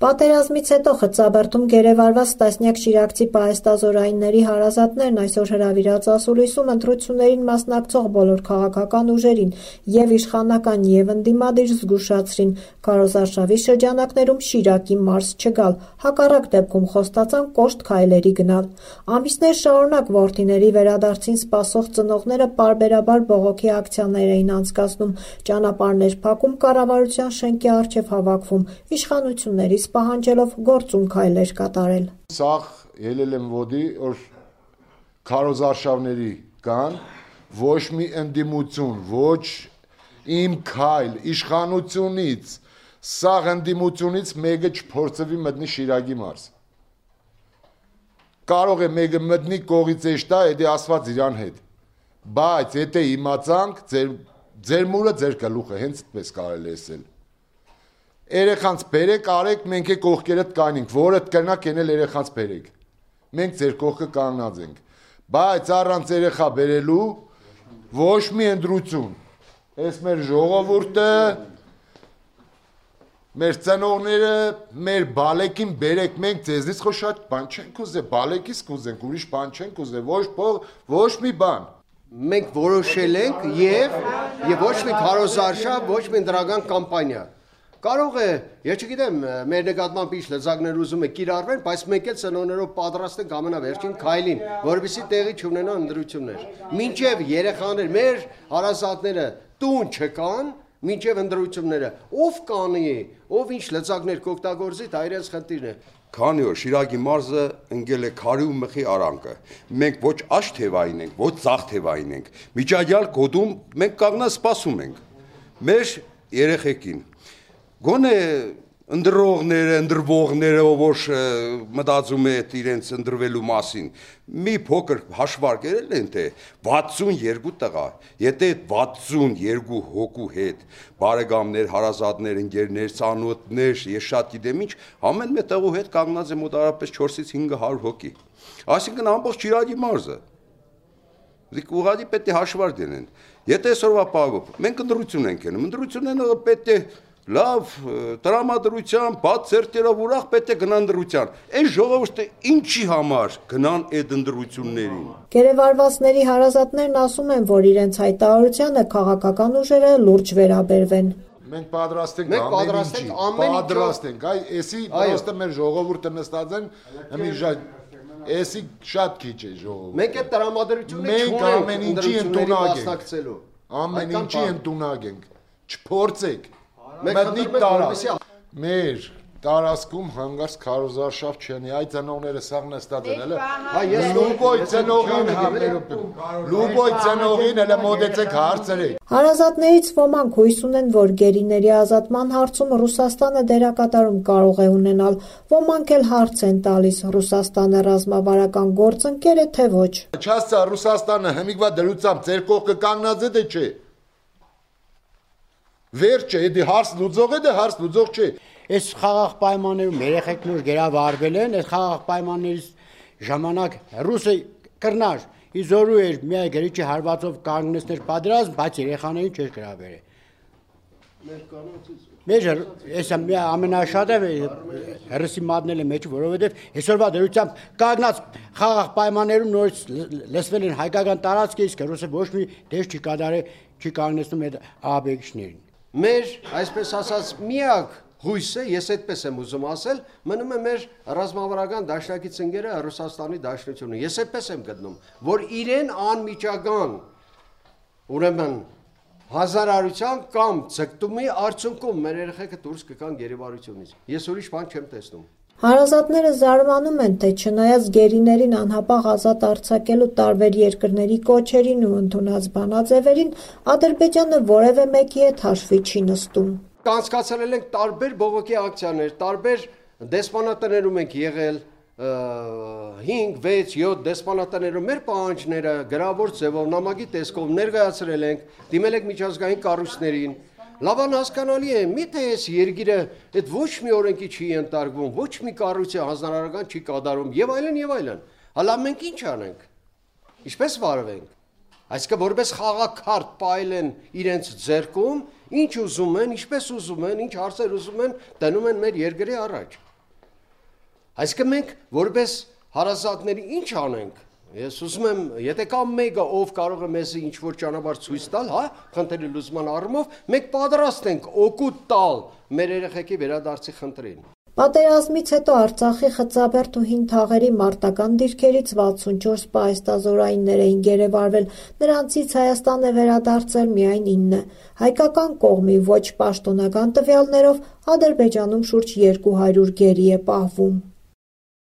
Պատերազմից հետո Խծաբերդում գերեվարված տասնյակ շիրակցի պահեստազորայինների հարազատներն այսօր հրավիրած ասուլիսում ընտրություններին մասնակցող բոլոր քաղաքական ուժերին եւ իշխանական եւ ընդդիմադիր զգուշացրին քարոզարշավի շրջանակներում Շիրակի մարզ չգալ, հակառակ դեպքում խոստացան կոշտ քայլերի գնալ։ Ամիսներ շարունակ որդիների վերադարձին սպասող ծնողները պարբերաբար բողոքի ակցիաներ էին անցկացնում, ճանապարհներ փակում, կառավարության շենքի առջև հավաքվում, իշխանություններից պահանջելով գործուն քայլեր կատարել։ Սաղ ելել եմ ոդի, որ քարոզարշավների կան, ոչ մի ընդդիմություն, ոչ իմ քայլ, իշխանությունից, սաղ ընդդիմությունից մեկը չփորձվի մտնի Շիրակի մարզ։ Կարող է մեկը մտնի կողից էշտա, էդի ասված իրան հետ, բայց եթե իմացանք, ձեր մուրը ձեր գլուխը, հենց այդպես կարելի ասել։ Երեխանց բերեք, արեք, մենք է կողքերդ կանենք, որդ կրնակ ենել երեխանց բերեք։ Մենք ձեր կողքը կանգնած ենք, բայց առանց երեխա բերելու ոչ մի ընդրություն։ Այս մեր ժողովուրդը, մեր ծնողները, մեր բալեկին բերեք, մենք ձեզնից խո շատ բան չենք ուզե, բալեկից կուզենք, ուրիշ բան չենք ուզե, ոչ մի բան։ Մենք որոշել ենք եւ ոչ մի քարոզարշավ, ոչ մի դրական կամպանիա։ Կարող է, ես չգիտեմ, մեր նկատմամբ ինչ լծակներ ուզում է կիրառվեն, բայց մենք էլ ծնողներով պատրաստ ենք ամենավերջին քայլին, որովհետեւ տեղի չունենան ընդրություններ։ Մինչև երեխաներ, մեր հարազատները տուն չկան, մինչև ընդրությունները, ով կանի, ով ինչ լծակներ կօգտագործի, դա իրենց խնդիրն է։ Քանի որ Շիրակի մարզը ընկել է քարի ու մխի արանքը, մենք ոչ աշ թևային ենք, ոչ ցախ թևային ենք, միջադյալ կոդում մենք կանգնած սպասում ենք։ Մեր երեխեքին Գոնե ընդրողները, ընդրվողները, որ մտածում է իրենց ընդրվելու մասին, մի փոքր հաշվարկել են, թե 62 տղա, եթե 62 հոգու հետ, բարեկամներ, հարազատներ, ընկերներ, ծանոթներ, ես շատ գիտեմ ինչ, ամեն մի տղու հետ կանգնած է մոտավորապես 4-ից 500 հոգի, այսինքն ամբողջ Շիրակի մարզը, ուղղակի պետք է հաշվարկ դնեն, եթե այսօրվա պահով, մենք ընդրություն ենք անում, ընդրությունները պետք է լավ տրամադրության, բաց ծերտերով ուրախ պետք է գնան դրության։ Այս ժողովուրդը ինչի համար գնան այդ ընդրություններին։ Գերեվարվածների հարազատներն ասում են, որ իրենց հայտարարությանը քաղաքական ուժերը լուրջ վերաբերվեն։ Մենք պատրաստ ենք պատրաստ ենք, էսի պրոստը մեր ժողովուրդը նստած են, էսի շատ քիչ է ժողովուրդը։ Մենք այդ տրամադրությունը չունենք, ամեն ինչի ընդունակ ենք, չփորձեք։ Մտնիկ տարած, մեր տարածքում հանգարց քարոզարշավ չունի, այդ ծնողները սաղ նստած են, էլի, լուբոյ ծնողին էլ մոտեցեք հարցրեք։ Հարազատներից ոմանք հույս ունեն, որ գերիների ազատման հարցում Ռուսաստանը դերակատարում կարող է ունենալ, ոմանք էլ հարց են տալիս, Ռուսաստանը ռազմավարական գործընկեր է, թե ոչ։ Չասա Ռուսաստանը հմիկվա դրությամբ ձեր կողքը կանգնած է, թե չէ։ Վերջ է, դե հարց լուծող է, դե հարց լուծող չէ։ Այս խաղաղ պայմաններում երեխեքներ գերավարվել են, այս խաղաղ պայմաններից ժամանակ ռուսը կրնար, իզորու էր մի գրիչի հարվածով կանգնեցներ պատերազմ, բայց երեխաներին չէր գրավել։ Մեր այս ամենաշատը հերսի մատնել է մեջ, որովհետև այսօրվա դրությամբ կանգնած խաղաղ պայմաններում նորից լսվել են հայկական տարածքը, իսկ ռուսը ոչ մի դեր չի կանգնեցնում այդ ահաբեկիչներին։ Մեր, այսպես ասած, միակ հույսը, ես այդպես եմ ուզում ասել, մնում է մեր ռազմավարական դաշնակից ընկերը Ռուսաստանի Դաշնությունը։ Ես այդպես եմ գտնում, որ իրեն անմիջական, ուրեմն հազարարության կամ ցկտումի արդյունքում մեր երեխեքը դուրս կգան գերեվարությունից։ Ես ուրիշ բան չեմ տեսնում։ Հարազատները զարմանում են, թե չնայած գերիներին անհապաղ ազատ արձակելու տարբեր երկրների կոչերին ու ընդունած բանաձևերին, Ադրբեջանը որևէ մեկի հետ հաշվի չի նստում։ Կանցկացրել ենք տարբեր բողոքի ակցիաներ, տարբեր դեսպանատներում ենք եղել, 5, 6, 7 դեսպանատներում մեր պահանջները գրավոր ձևով նամակի տեսքով ներկայացրել ենք, դիմել ենք միջազգային կառույցներին։ Լավան հասկանալի է, միթե այս երկիրը այդ ոչ մի օրենքի չի ենթարկվում, ոչ մի կառույցի հանձնարարական չի կատարում եւ այլն եւ այլն։ Հələ մենք ինչ անենք։ Ինչպես վարվենք։ Այսինքն որպես խաղաքարտ պայել են իրենց ձեռքում, ինչ ուզում են, ինչպես ուզում են, ինչ հարցեր ուզում են, դնում են մեր երկրի առաջ։ Այսինքն մենք որպես հարազատների ինչ անենք։ Ես ուզում եմ, եթե կա մեկը, ով կարող է մեզ ինչ-որ ճանապարհ ցույց տալ, հա, խնդրի լուծման առումով, մենք պատրաստ ենք օգուտ տալ մեր երեխեքի վերադարձի խնդրին։ Պատերազմից հետո Արցախի Խծաբերդ ու Հին Թաղերի մարտական դիրքերից 64 պահեստազորայիններ էին գերեվարվել, նրանցից Հայաստան է վերադարձել միայն 9։ Հայկական կողմի ոչ պաշտոնական տվյալներով Ադրբեջանում շուրջ 200 գերի է պահվում։